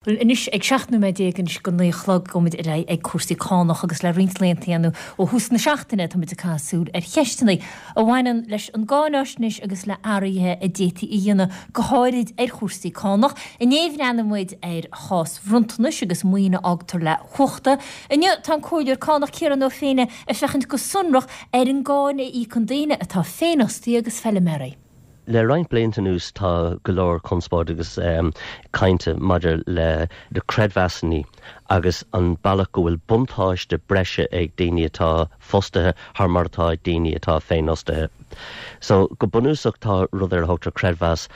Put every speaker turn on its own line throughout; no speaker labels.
Bhuel, anois, ag 17 nóiméad anois go 9 a chlog, gabhfaimid ar aghaidh ag cúrsaí cánach agus le roinnt laethanta nó ó thús na seachtaine tá muid ag caitheamh súil ar cheisteanna a bhaineann leis an gcáináisnéis agus le athruithe a d'fhéadfaí a dhéanamh go háirid ar chúrsaí cánach. Inné bhreathnaigh muid ar chás bhronntanais agus maoin a fhágtar le huachta. Inniu tá an Comhairleoir Cánach Ciarán Ó Féinne ag féachaint go sonrach ar an gcáin a íocann daoine atá féinfhostaithe agus feiliméaraí.
Le roinnt blianta anuas tá go leor conspóid agus cainte maidir le na creidmheasanna agus an bealach go bhfuil buntáiste breise ag daoine atá fostaithe thar mar atá ag daoine atá féinfhostaithe. So go bunúsach tá rud ar a thugtar creidmheas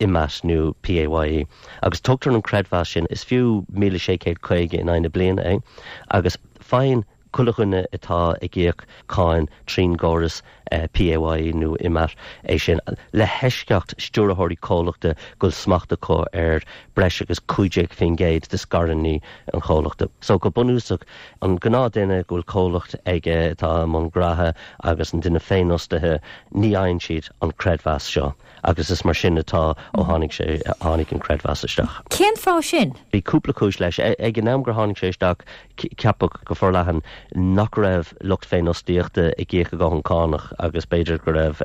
ÍMAT nó PAYE agus tugtar an creidmheas sin, is fiú 1,650 in aghaidh na bliana é agus faigheann Chuile dhuine atá ag íoc cáin trín gcóras PAYE nó ÍMAT é sin, le heisceacht stiúrthóirí comhlachta go bhfuil smacht acu ar breis agus 15% de scaireanna an chomhlachta. So go bunúsach, an gnáth duine go bhfuil comhlacht aige atá i mbun graithe agus an duine féinfhostaithe, ní fhaigheann siad an creidmheas seo. Agus is mar sin atá ó tháinig sé, tháinig an creidmheas isteach.
Cén fáth sin?
Bhí cúpla cúis leis. Ag an am gur tháinig sé isteach, ceapadh go forleathan nach raibh lucht féinfhostaíochta ag íoc a ndóthain cánach agus b'fhéidir go raibh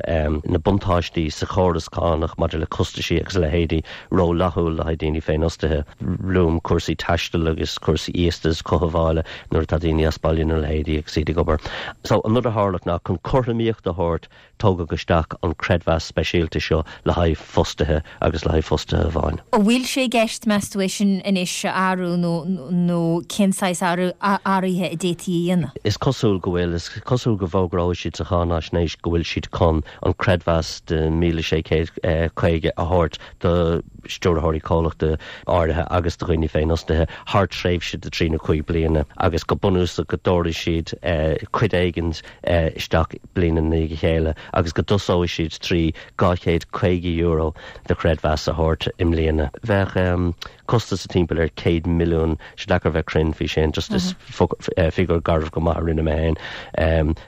na buntáistí sa chóras cánach maidir le costaisí agus a leithéidí rófhlaithiúil le haghaidh daoine féinfhostaithe. Luaim cúrsaí taistil agus cúrsaí iostais cothabhála nuair atá daoine as baile nó a leithéidí agus iad ag obair. So an rud a tharla ná chun cothromaíocht a thabhairt Tógadh isteach an creidmheas speisialta seo le haghaidh fostaithe agus le haghaidh fostaithe amháin.
An bhfuil sé i gceist, meas tú, é sin anois a athrú nó nó cén saghas athruithe a d'fhéadfaí a dhéanamh?
Is cosúil go bhfuil. Is cosúil go bhfógróidh siad sa cháinaisnéis go bhfuil siad chun an creidmheas de 1,650 a thabhairt do stiúrthóirí comhlachta áirithe agus do dhaoine féinfhostaithe thar tréimhse de thrí nó chúig bliana agus go bunúsach go dtabharfaidh siad cuid éigin isteach bliain i ndiaidh a chéile agus go dtosóidh siad trí €250 de chreidmheas a thabhairt i mbliana. Bheadh costas timpeall ar 100 milliún, sé deacair bheith cruinn faoi sin, just is figiúr garbh go maith a rinne mé féin,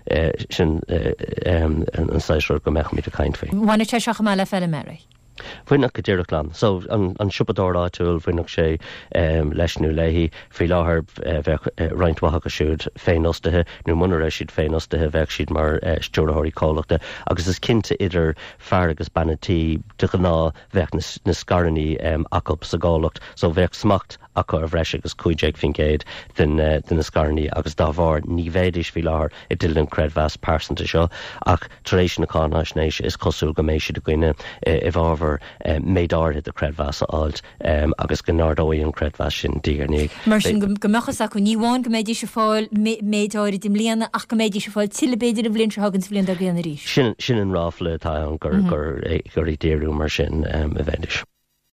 sin an saghas rud go mbeadh muid ag caint faoi.
Bhainfeadh sé seo chomh maith le feiliméaraí.
Bhainfeadh go díreach leo. So, an siopadóir áitiúil, bhainfeadh sé leis nó léi. Faoi láthair, bheadh roinnt mhaith acu siúd féinfhostaithe, nó muna raibh siad féinfhostaithe, bheadh siad mar stiúrthóirí comhlachta. Agus is cinnte idir fear agus bean an tí, de ghnáth, bheadh na scaireanna acu sa gcomhlacht. So, bheadh smacht acu ar bhreis agus 15% de na scaireanna agus dá bharr ní bheidís faoi láthair i dteideal an creidmheas pearsanta seo ach tar éis na cáinaisnéise is cosúil go mbeidh siad i gcoinne i bhfabhar méid áirithe de chreidmheas a fháilt agus go n-ardóidh an creidmheas sin diaidh ar ndiaidh.
Mar sin go mbeadh fhios acu ní amháin go mbeidís ag fáil méid áirid i mbliana ach go mbeidís ag fáil tuilleadh b'fhéidir an bhliain seo chugainn sa bhliain dár gcionn arís.
Sin an ráfla atá ann gur ag díriú mar sin a bheidís.